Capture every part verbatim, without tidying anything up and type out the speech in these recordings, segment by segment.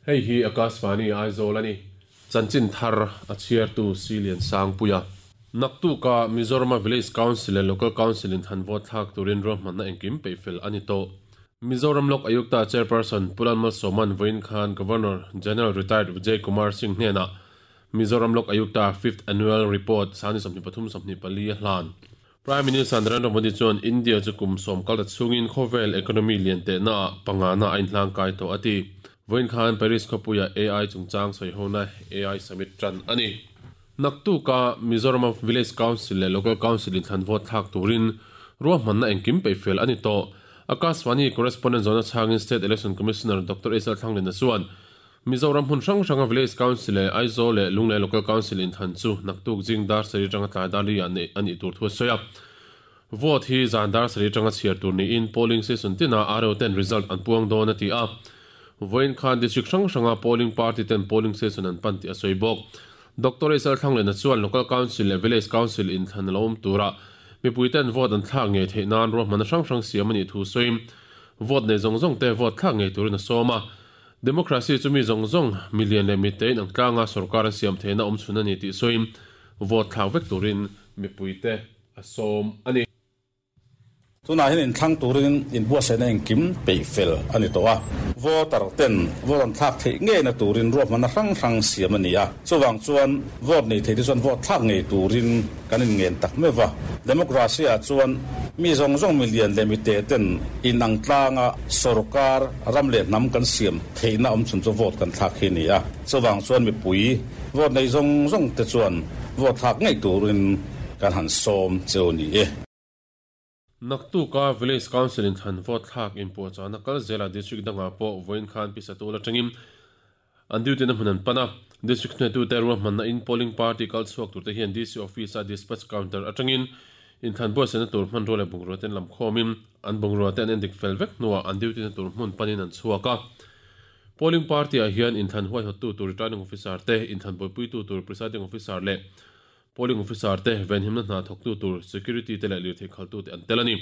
Hei hi Akashvani Aizawl ani chanchin thar a chhiartu Silian Sangpuia Naktuka Mizoram Village Council and Local Council in than vote thlak turin ruahmanna engkim peihfel ani tawh Mizoram Lok Ayukta Chairperson Pu Lalmalsawma'n vawiin khan Governor General Retired Vijay Kumar Singh hnenah Mizoram Lok Ayukta Fifth Annual Report sangni sawmhnih pathum sawmhnih pali a hlan Prime Minister Narendra Modi chuan India chu kum sawm kal ta chungin khawvel economy lian tehna ah pangana a inhlang kai tawh a ti. Vawiin khan Paris khawpuia A I chungchang sawihona A I Summit tan ani. Naktuka Mizoram Village Council leh Local Council in thlan vote thlak turin ruahmanna engkim peihfel ani tawh. Akashvani correspondent zona changin State Election Commissioner Doctor S L Thanglina chuan Mizoram hmun hrang hranga Village Council leh Aizawl leh Lunglei Local Council in than chu naktuk jing dar sari tanga tlai dar li ah nei ani tur thu a sawi a. Vote hi zan dar sari tanga chhiar tur niin polling station tina R O ten result an puang dawn a ti a. Vawiin khan district hrang hranga polling party ten polling station an pan tih a sawi bawk. Doctor S L Thanglina chuan Local Council leh Village Council in thlan a lo awm tura mipui ten vote an thlak ngei theih nan ruahmanna hrang hrang siam ani thu sawiin vote nei zawng zawng te vote thlak ngei turin a sawm a. Democracy chu mi zawng zawng million leh mi tein ang tlanga sarkar an siam theihna awm chhun ani tih sawiin vote thlak vek turin mipui te a sawm ani. Tunah hian inthlang turin inbuatsaihna engkim peihfel ani tawh a. Voter ten vote an thlak theih ngei na turin ruahmanna hrang hrang siam ani a. Chuwang chuan vote nei thei te chuan vote thlak ngei turin kan in ngen tak mewa. Democracy ah chuan mi zawng zawng million leh mi te ten in ang tlanga sarkar ram leh hnam kan siam theihna awm chhun chu vote kan thlak hi ni a. Chuwang chuan mipui vote nei zawng zawng te chuan vote thlak ngei turin kan han sawm cheu ni e. Naktuka Village Council in than vote thlak in puahchahna kal zela district dangah pawh vawiin khan pisa tul atangin an duty na hmun an pan a. District hnuaitu te ruahmanna in polling party kal chhuak tur te hian D C office a dispatch counter atangin in than buatsaihna tur hman rual leh bungrua ten lam khawmin an bungrua te an endik fel vek hnuah an duty na tur hmun panin an chhuak a. Polling party ah hian in than huaihawttu tur returning officer te in than buaipuitu tur presiding officer leh polling officer te venhimna hna thawktu tur security te leh lirthei khaltu te an tel ani.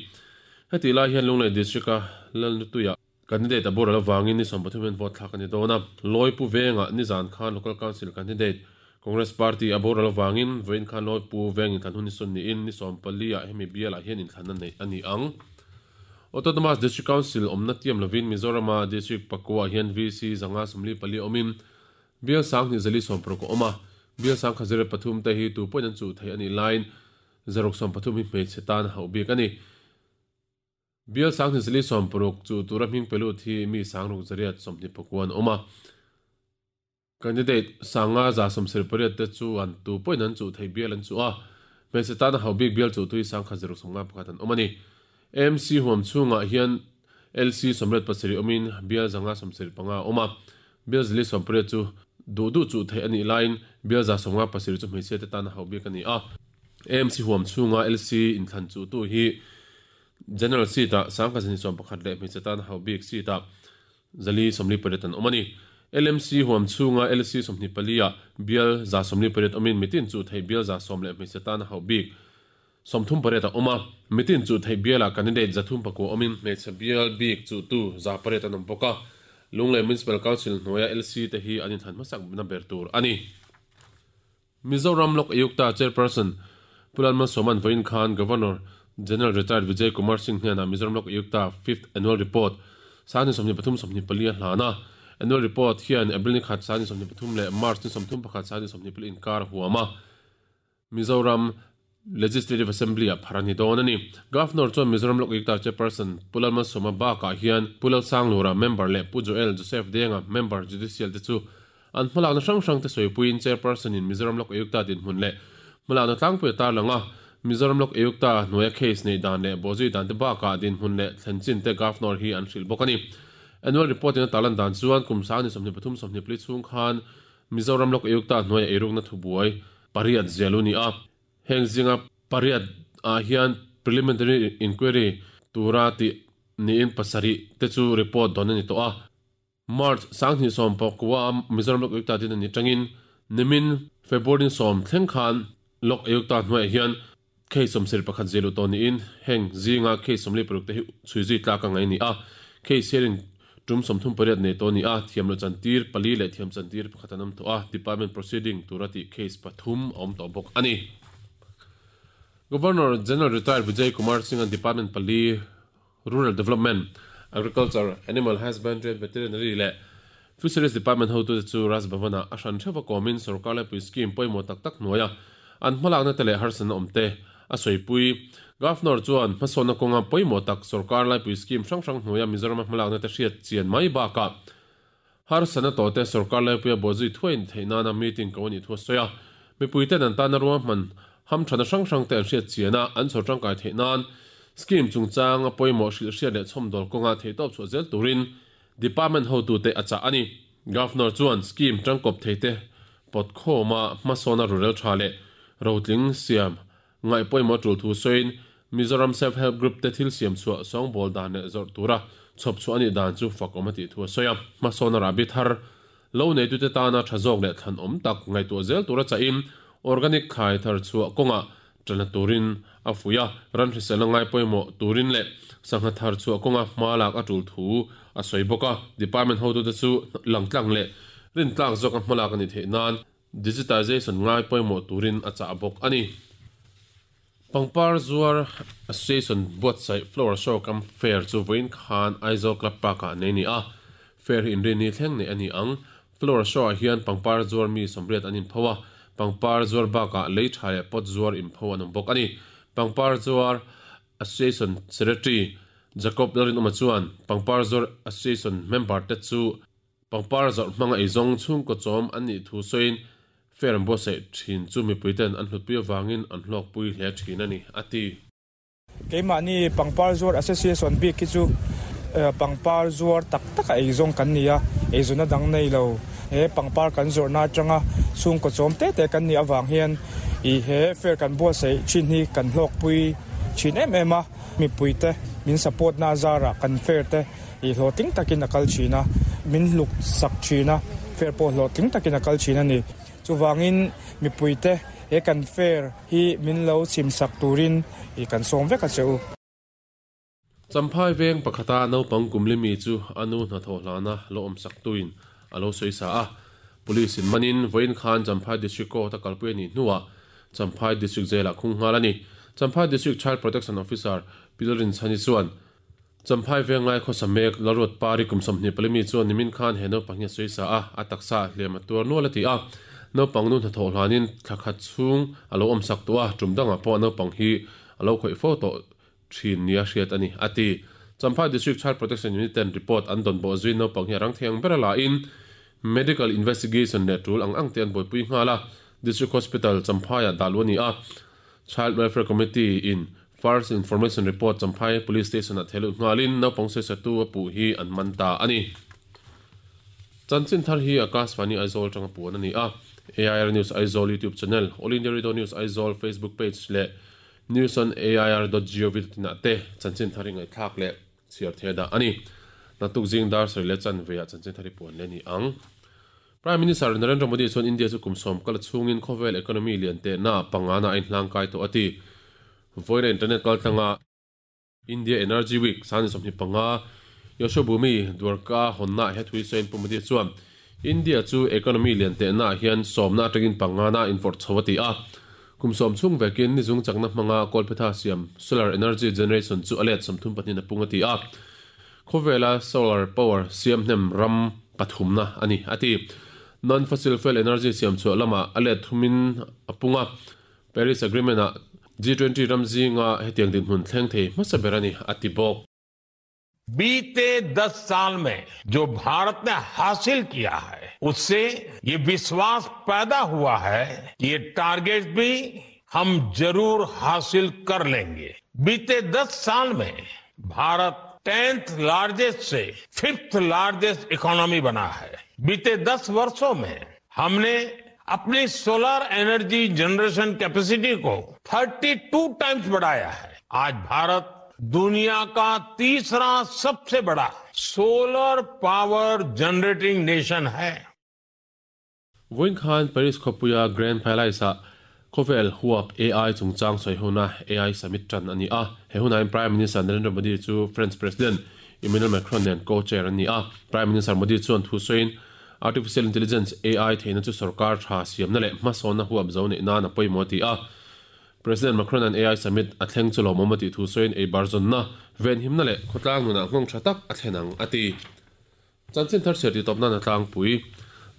Heti lai hian Lunglei district a Lalnutuia candidate a boral awangin ni sawm pathum hian vote thlak ani dawn a. Lawipu venga ni zan khan local council candidate Congress party a boral awangin vawiin khan Lawipu veng in thlan hun ni sawn niin ni sawm pali ah hemi bial ah hian inthlan a nei ani ang. Autonomous District Council awmna tiam lovin Mizorama district pakua hian V C zanga sawmli pali awmin bial sang hnih zali sawm paruk a awm a. Bial sang kha zero pathum te hi tu pawhin an chu thei ani line zaruk sawm pathum hi hmeichhe tan hauh bik ani. Bial sang hnih zali sawm paruk chu tura hming pelut hi mi sang ruk zariat sawmhnih pakuan awm a. Candidate sanga za sawm sir pariat te chu an tu pawhin an chu thei bial an chu a. Hmeichhe tan hauh bik bial chu tui sang kha zaruk sawm nga pakhat an awm ani. M C huam chungah hian L C sawmriat pasarih awmin bial zanga sawm sir panga awm a. Bial zali sawm pariat chu du du chu thei ani line bial za sawm nga pasarih chu hmeichhe te tan hauh bik ani a. M C huam chunga L C inthlan chu tu hi General seat ah sang kha zani sawm pakhat leh hmeichhe tan hauh bik seat ah zali sawmli pariat an awm ani. L M C huam chunga L C sawmhnih pali ah bial za sawmli pariat awmin mitin chu thei bial za sawm leh hmeichhe tan hauh bik sawmthum pariat a awm a. Mitin chu thei bial ah candidate zathum pakua awmin hmeichhe bial bik chu tu za pariat an awm bawk a. Lunglei Municipal Council hnuaia L C te hi an inthlan hmasak na ber tur ani. Mizoram Lok Ayukta Chairperson Pu Lalmalsawma'n vawiin khan Governor General Retired Vijay Kumar Singh hnenah Mizoram Lok Ayukta Fifth Annual Report sangni sawmhnih pathum sawmhnih pali a hlan a. Annual Report hian April ni khat sangni sawmhnih pathum leh March ni sawmthum pakhat sangni sawmhnih pali inkar huam a. Mizoram Legislative Assembly ah phar ani dawn ani. Governor chuan Mizoram Lok Ayukta Chairperson Pu Lalmalsawma bakah hian Pu Lalsanglura member leh Pu Joel Joseph Denga member judicial te chu an hmalakna hrang hrang te sawipuiin Chairperson in Mizoram Lok Ayukta dinhmun leh hmalakna tlangpui a tarlang a. Mizoram Lok Ayukta hnuaia case nei dan leh bawhzui dan te bakah dinhmun leh thlenchin te Governor hi an hrilh bawk ani. Annual report in a tarlan dan chuan kum sangni sawmhnih pathum sawmhnih pali chhung khan Mizoram Lok Ayukta hnuaia eirukna thubuai pariat zialu ni a. Heng zinga pariat ah hian preliminary inquiry tura ti niin pasarih te chu report dawn ani tawh a. March sanghnih sawm pakua Mizoram Lok Ayukta din ani tangin nimin February sawm thleng khan Lok Ayukta hnuaiah hian Case sawmsarih pakhat ziahluh tawh niin heng zinga case sawmli paruk te hi chhui zui tlak a ngai ni a. Case hearing tum sawmthum pariat nei tawh ni a, thiam lo chantir pali leh thiam chantir pakhat an awm tawh a, department proceeding tura tih case pathum a awm tawh bawk a ni. Governor General Retired Vijay Kumar Singh an department pali Rural Development, Agriculture, Animal Husbandry and Veterinary leh Fisheries Department hotute chu Raj Bhavan-ah a hran theuh a kawmin sorkar laipui scheme pawimawh tak tak hnuaia an hmalakna te leh harsatna awm te a sawipui. Governor chuan hmasawnna kawnga pawimawh tak sorkar laipui scheme hrang hrang hnuaia Mizoram-a hmalakna te hriat chian mai bakah harsatna tawh te sorkar laipuia bawhzui thuain theih nana meeting ko a nih thu a sawi a. Mipuiten an tana ruahman hamthana hrang hrang te an hriat chian a, an chhawr tangkai theih nan scheme chungchang a pawimawh hrilh hriat leh chhawmdawl kawnga theihtawp chhuah zel turin department hotute a chah a ni. Governor chuan scheme tangkawp thei te pawt khawma hmasawna rurel tha leh rotling siam ngaih pawimawh tul thu sawiin Mizoram Self Help Group te thil siam chhuah sawngbawl dan leh zawrh tura chhawp chhuah a nih dan chu fak awm a tih thu a sawi a. Hmasawna rahbi thar lo neitute tana tha zawk leh thlan awm tak ngaihtuah zel tura chahin organic thlai thar chhuah kawngah tana turin a fuih a, ran hriselna ngai pawimawh turin leh sangha thar chhuah kawnga hma lak a tul thu a sawi bawk a. Department hotute chu langtlang leh rintlak zawk a hma lak a ni theih nan digitization ngai pawimawh turin a chah bawk a ni. Pangpar Zuar Association buatsaih Flower Show kam fair chu vawiin khan Aizawl Club Park-ah nei ni a. Fair hi inrin ni thleng nei a ni ang. Flower Show-ah hian Pangpar Zuar mi sawmriat an inpho a, Pangpar Zuar bakah lei tha leh pot zuar inpho an awm bawk a ni. Pangpar Zuar Association Secretary Jacob Lalrinawma chuan Pangpar Zuar Association member te chu Pangpar zawrh hmanga eizawng chhungkaw chawm an nih thu sawiin fair an buatsaih thin chu mipuiten an hlutpui avangin an hlawkpui hle thin a ni, a ti. Keimahni Pangpar Zuar Association bik hi chu Pangpar Zuar tak taka eizawng kan ni a, eizawna dang nei lo. He pangpar kan zawrhna atanga chhungkaw chawm te te kan nih avang hian i he fair kan buatsaih thin hi kan hlawkpui thin em em a. Mipuite min support na zarah kan fair te i hlawhtling takin a kal thin a, min hluk sak thin a, fair pawh hlawhtling takin a kal thin a ni. Chuwangin mipuite he kan fair hi min lo chim sak turin i kan sawm vek a cheu. Champhai veng pakhata naupang kumli mi chu anu hnathawh hlana lo awm sak tuin a lo sawi sa a. Police in manin vawiin khan Champhai District Court a kalpui a nih hnuah Champhai District Jail-ah khung nghal a ni. Champhai District Child Protection Officer Pilrin Chhani chuan Champhai veng lai khawsa mek Lalruat Pari kum sawmhnih pali mi chuan nimin khan he naupang hi a sawi sa a, a taksa hliam a tuar nual a ti a. Naupang nu hnathawh hlanin thla khat chhung a lo awm sak tawh a, tum dangah pawh naupang hi a lo khawih fo tawh thin nia hriat a ni, a ti. Champhai District Child Protection Unit ten report an dawn bawh zui naupang hi a rang thiang ber a la in medical investigation leh tul ang ang te an buaipui nghal a. District Hospital Champhai-ah dah lu a ni a. Child Welfare Committee in First Information Report Champhai Police Station-ah thehlut nghalin naupang sawisatu a puh hi an man ta a ni. Chanchin thar hi Akashvani Aizawl tanga puan a ni a. A I R News Aizawl YouTube channel, All India Radio News Aizawl Facebook page leh news on A I R dot gov dot in ah te chanchin thar hi ngaihthlak leh chhiar thei dah a ni. Naktuk zing dar sarih leh chanve ah chanchin thar hi puan leh ni ang. Prime Minister Narendra Modi chuan India chu kum sawm kal chhungin khawvel economy lian te na pangana a inhlang kai tawh a ti. Vawiin internet kaltlanga India Energy Week sani sawmhnih panga Yashobhoomi Dwarka hawnna he thui sawiin Pu Modi chuan India chu economy lian te na hian sawmna atangin pangana in forh chho a ti a. Kum sawm chhung vekin ni zung chakna hmanga Kolpetha siam solar energy generation chu a let sawmthum pahnih a pung a ti a. Khawvela solar power siam hnem ram pathumna a ni a ti. Non-fossil fuel energy siam chhuah lama a let thumin a pung a. Paris Agreement-ah G twenty ram zinga hetiang dinhmun thleng thei hmasa ber a ni a ti bawk. बीते दस साल में जो भारत ने हासिल किया है उससे ये विश्वास पैदा हुआ है कि ये टारगेट भी हम जरूर हासिल कर लेंगे। बीते दस साल में भारत टेंथ लार्जेस्ट से fifth largest economy बना है। बीते दस वर्षों में हमने अपनी solar energy generation capacity को thirty two times बढ़ाया है। आज भारत दुनिया का तीसरा सबसे बड़ा solar power generating nation है। Vawiin khan Paris khawpuia Grand Palace-ah Khovel huap A I chungchang soi huna A I Summit tran ani a. He huna in Prime Minister Narendra Modi chu French President Emmanuel Macron nen co-chair ani a. Prime Minister Modi chuan thu soin Artificial Intelligence A I theina chu sarkar tha siam na le hmasawna huap zo nei na na pawimawh ti a. President Macron an A I Summit a thleng chu lawmawm ti thu soin ei barzon na ven him na le khawtlang nunah nghawng tha tak a thlenang ati. Chanchin thar ser ti tawp na na tlangpui.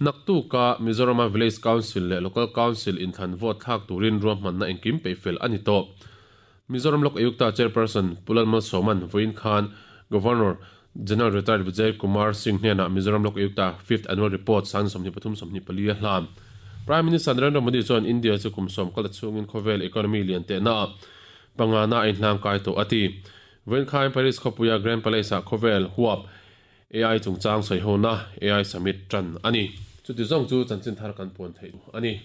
Naktu ka Mizoram Village Council le Local Council in than vote thak turin ruahman na engkim peifel ani to. Mizoram Lok Ayukta Chairperson Pulal Malsawman Voin Khan Governor General Retired Vijay Kumar Singh hnena Mizoram Lok Ayukta fifth Annual Report sang sawmhnih pathum sawmhnih pali a hlan. Prime Minister Narendra Modi chuan India chu kum sawm kal chungin khawvel economy lian te na panga na in hlang kai to ati. Voin Khan Paris khawpuia Grand Palace ah khawvel huap A I chungchang soi ho na A I Summit tran ani. Chu ti zong chu chanchin thar kan puan thei ani.